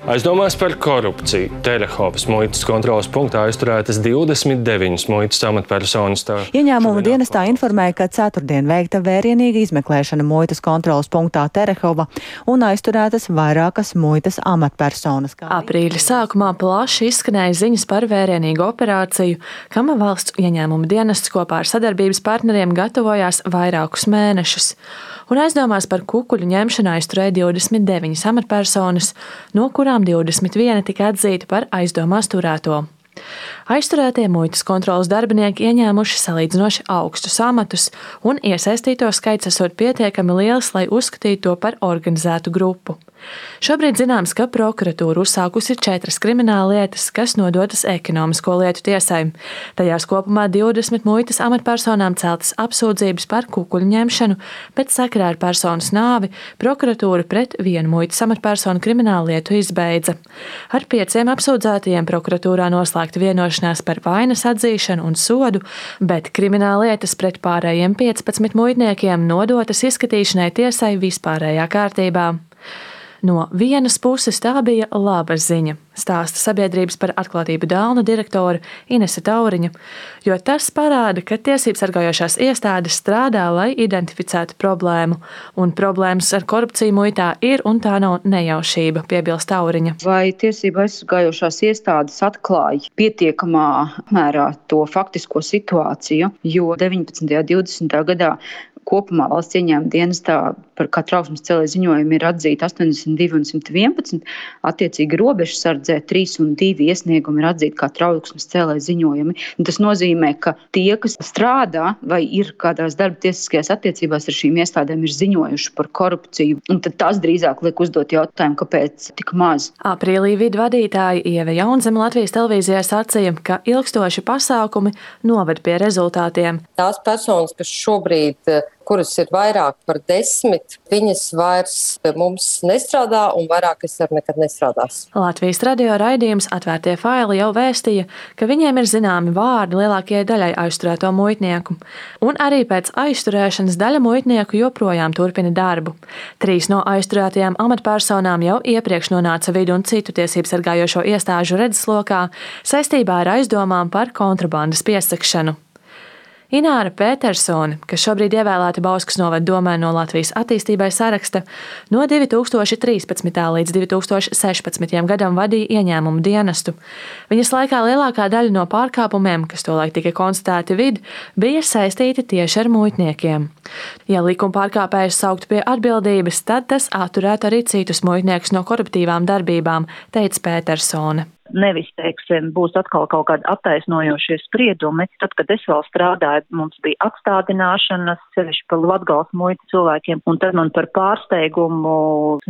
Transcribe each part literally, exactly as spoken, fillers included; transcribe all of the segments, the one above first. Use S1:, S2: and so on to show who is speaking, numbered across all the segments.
S1: Aizdomās par korupciju Terehovas muitas kontroles punktā aizturētas divdesmit deviņas muitas amatpersonas.
S2: Ieņēmuma dienestā informēja, ka ceturtdien veikta vērienīga izmeklēšana muitas kontroles punktā Terehova un aizturētas vairākas muitas amatpersonas.
S3: Aprīļa sākumā plaši izskanēja ziņas par vērienīgu operāciju, kam valsts ieņēmuma dienests kopā ar sadarbības partneriem gatavojās vairākus mēnešus. Un aizdomās par kukuļu ņemšanu aizturēja divdesmit deviņas amatpersonas, no kurām divdesmit viena tika atzīta par aizdomās turēto. Aizturētie muitas kontroles darbinieki ieņēmuši salīdzinoši augstus amatus, un iesaistīto skaits esot pietiekami liels, lai uzskatītu to par organizētu grupu. Šobrīd zināms, ka prokuratūra uzsākusi četras krimināllietas, kas nodotas ekonomisko lietu tiesai. Tajās kopumā divdesmit muitas amatpersonām celtas apsūdzības par kukuļu ņemšanu, bet sakarā ar personas nāvi prokuratūra pret vienu muitas amatpersonu krimināllietu izbeidza. Ar pieciem apsūdzētajiem prokuratūrā noslēgta vienošanās par vainas atzīšanu un sodu, bet krimināllietas pret pārējiem piecpadsmit muitniekiem nodotas izskatīšanai tiesai vispārējā kārtībā. No vienas puses tā bija laba ziņa, stāsta sabiedrības par atklātību dēlna direktore Inese Tauriņa, jo tas parāda, ka tiesības sargājošās iestādes strādā, lai identificētu problēmu, un problēmas ar korupciju muitā ir, un tā nav nejaušība, piebilst Tauriņa.
S4: Vai tiesība aizsargājošās iestādes atklāja pietiekamā mērā to faktisko situāciju, jo deviņpadsmitajā un divdesmitajā gadā kopumā valsts ieņēmuma dienestā par kā trauksmes cēlēju ziņojumu ir atzīti astoņdesmit divi un simt vienpadsmit, attiecīgi robežsardzē trīs un divi iesniegumi ir atzīti kā trauksmes cēlēju ziņojumi. Un tas nozīmē, ka tie, kas strādā vai ir kādās darba tiesiskajās attiecībās ar šīm iestādēm, ir ziņojuši par korupciju. Un tad tas drīzāk liek uzdot jautājumu, kāpēc tik maz.
S3: Aprīlī vidu vadītāja Ieva Jaunzeme Latvijas televīzijā sacīja, ka ilgstoši pasākumi noved pie rezultātiem.
S5: Tās personas, kas šobrīd, kuras ir vairāk par desmit, viņas vairs mums nestrādā un vairākas ar nekad nestrādās.
S3: Latvijas radio raidījums Atvērtie faili jau vēstīja, ka viņiem ir zināmi vārdi lielākajai daļai aizturēto muitnieku. Un arī pēc aizturēšanas daļa muitnieku joprojām turpina darbu. Trīs no aizturētajām amatpersonām jau iepriekš nonāca vidu un citu tiesības sargājošo iestāžu redzeslokā saistībā ar aizdomām par kontrabandas piesakšanu. Ināra Petersone, kas šobrīd ievēlēta Bauskas novada domē no Latvijas attīstībai saraksta, no divi tūkstoši trīspadsmitā līdz divi tūkstoši sešpadsmitajam gadam vadīja ieņēmumu dienestu. Viņas laikā lielākā daļa no pārkāpumiem, kas tolaik tika konstatēti vid, bija saistīti tieši ar muitniekiem. Ja likuma pārkāpējus sauktu pie atbildības, tad tas atturētu arī citus muitniekus no koruptīvām darbībām, teica Petersone.
S6: Nevis, teiksim, būs atkal kaut kādi attaisnojošie spriedumi. Tad, kad es vēl strādāju, mums bija atstādināšanas, sevišķi par Latgales muitas cilvēkiem, un tad man par pārsteigumu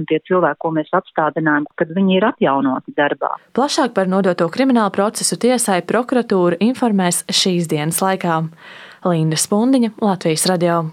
S6: tie cilvēki, ko mēs atstādinājām, kad viņi ir atjaunoti darbā.
S3: Plašāk par nodoto kriminālu procesu tiesai prokuratūra informēs šīs dienas laikā. Linda Spundiņa, Latvijas radio.